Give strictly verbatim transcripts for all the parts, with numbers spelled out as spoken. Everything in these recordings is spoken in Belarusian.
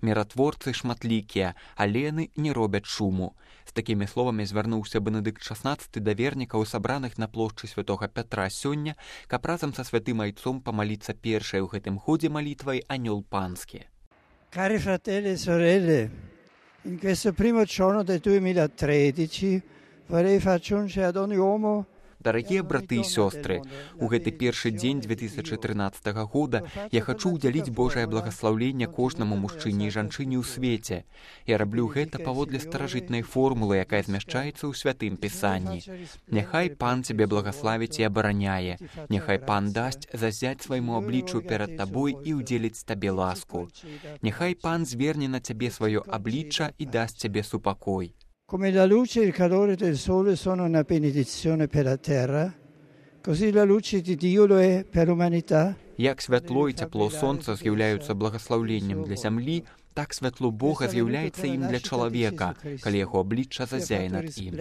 Міратворцы шматлікія, але яны не робяць шуму. З такімі словамі звярнуўся Бенедыкт шаснаццаты да вернікаў, сабраных на плошчы святога Пятра сёння, каб разам са святым айцом памаліцца першай у гэтым ходзе малітвай Анёл Панскі. Cari fratelli e sorelle, in questo primo giorno del duemilatredici vorrei far giungere ad ogni uomo. Дарагія браты і сёстры, у гэты першы дзень две тысячы трынаццатага года я хачу ўдзяліць Божае благаслаўленне кожнаму мужчыне і жанчыне ў свеце. Я раблю гэта паводле старажытнай формулы, якая змяшчаецца ў святым пісанні. Няхай Пан цябе благаславіць і абараняе. Няхай Пан дасць зазяць свайму абліччу перад табой і ўдзеліць табе ласку. Няхай Пан зверне на цябе сваё аблічча і дасць цябе супакой. Come la luce e il calore del sole sono una benedizione per la terra, così la luce di Dio lo è per l'umanità. Як святло і цяпло сонца з'яўляюцца благаслаўленнем для зямлі, так святло Бога з'яўляецца ім для чалавека, калі яго аблічча зазяе над ім.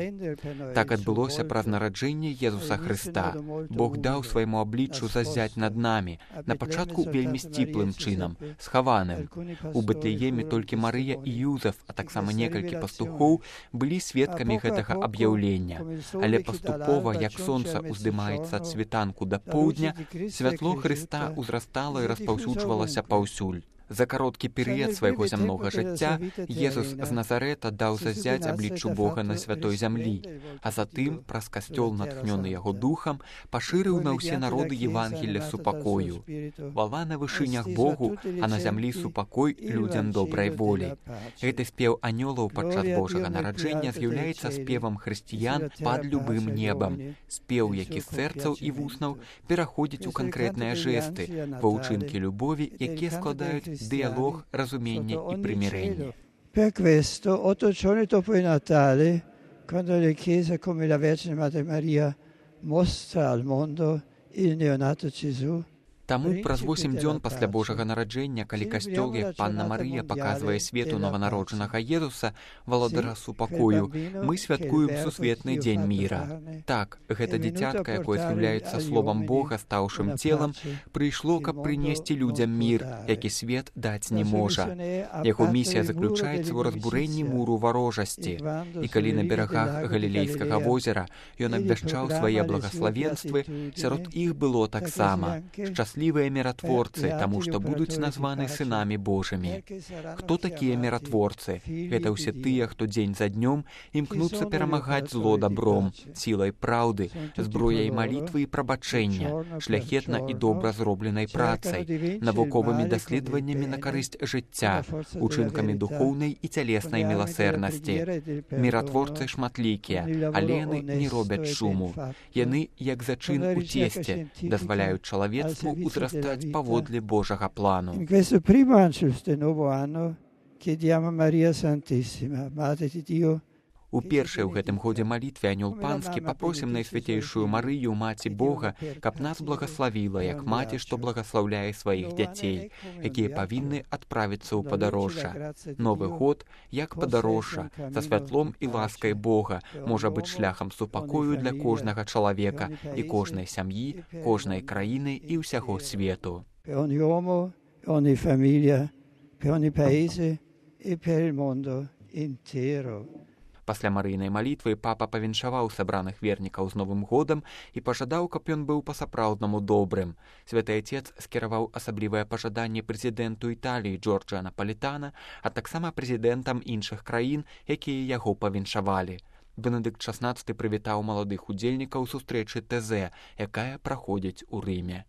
Так адбылося праз нараджэнне Езуса Хрыста. Бог даў свайму абліччу зазяць над намі, на пачатку вельмі сціплым чынам, схаваным. У Бэтлееме толькі Марыя і Юзеф, а таксама некалькі пастухоў былі сведкамі гэтага аб'яўлення. Але паступова, як сонца ўздымаецца ад світанку да поўдня, святло Хрыста узрастала і распаўсюджвалася паўсюль. За кароткі перыяд свайго зямнога жыцця Езус з Назарэта даў зазяць абліччу Бога на святой зямлі, а затым, праз касцёл, натхнёны яго духам, пашырыў на ўсе народы Евангелля супакою. Вала на вышынях Богу, а на зямлі супакой людзям добрай волі. Гэты спеў анёлаў падчас Божага нараджэння з'яўляецца спевам хрысціян пад любым небам. Спеў, які з сэрцаў і вуснаў пераходзіць у канкрэтныя жэсты, ва ўчынкі любові, якія складаюць dialogo, разумение e примирение. Per questo, otto giorni dopo il Natale, quando la Chiesa come la Vergine Madre Maria mostra al mondo il neonato Gesù, Таму праз восем дзён пасля Божага нараджэння, калі касцёл, як Панна Марыя, паказвае свету нованароджанага Езуса, валадара супакою, мы святкуем сусветны дзень міра. Так, гэта дзіцятка, якое з'яўляецца словам Бога, стаўшым целам, прыйшло, каб прынесці людзям мір, які свет даць не можа. Яго місія заключаецца ў разбурэнні муру варожасці. І калі на берагах Галілейскага возера ён абвяшчаў свае благаславенствы, сярод іх было таксама шчаслівыя міратворцы, таму што будуць названы сынамі Божымі. Хто такія міратворцы? Гэта ўсе тыя, хто дзень за днём імкнуцца перамагаць зло дабром, сілай праўды, зброяй малітвы і прабачэння, шляхетна і добра зробленай працай, навуковымі даследаваннямі на карысць жыцця, учынкамі духоўнай і цялеснай міласэрнасці. Міратворцы шматлікія, але яны не робяць шуму. Яны, як зачын у цесце, дазваляюць чалавецтву узрастаць паводле Божага плану. In questo primo Angelus del nuovo anno chiediamo a Maria Santissima, Madre di Dio. У першай у гэтым годзе малітве Анёл Панскі папросім найсвяцейшую Марыю, Маці Бога, каб нас благаславіла, як маці, што благаслаўляе сваіх дзяцей, якія павінны адправіцца ў падарожжа. Новы год, як падарожжа, са святлом і ласкай Бога, можа быць шляхам супакою для кожнага чалавека і кожнай сям'і, кожнай краіны і ўсяго свету. Per ogni uomo, ogni famiglia, per ogni paese e per il mondo intero. Пасля марыйнай малітвы папа павіншаваў сабраных вернікаў з Новым годам і пажадаў, каб ён быў па-сапраўднаму добрым. Святы Отец скіраваў асаблівае пажаданне прэзідэнту Італіі Джорджа Напалітана, а таксама прэзідэнтам іншых краін, якія яго павіншавалі. Бенедыкт шаснаццаты прывітаў маладых удзельнікаў сустрэчы Тэзэ, якая праходзіць у Рыме.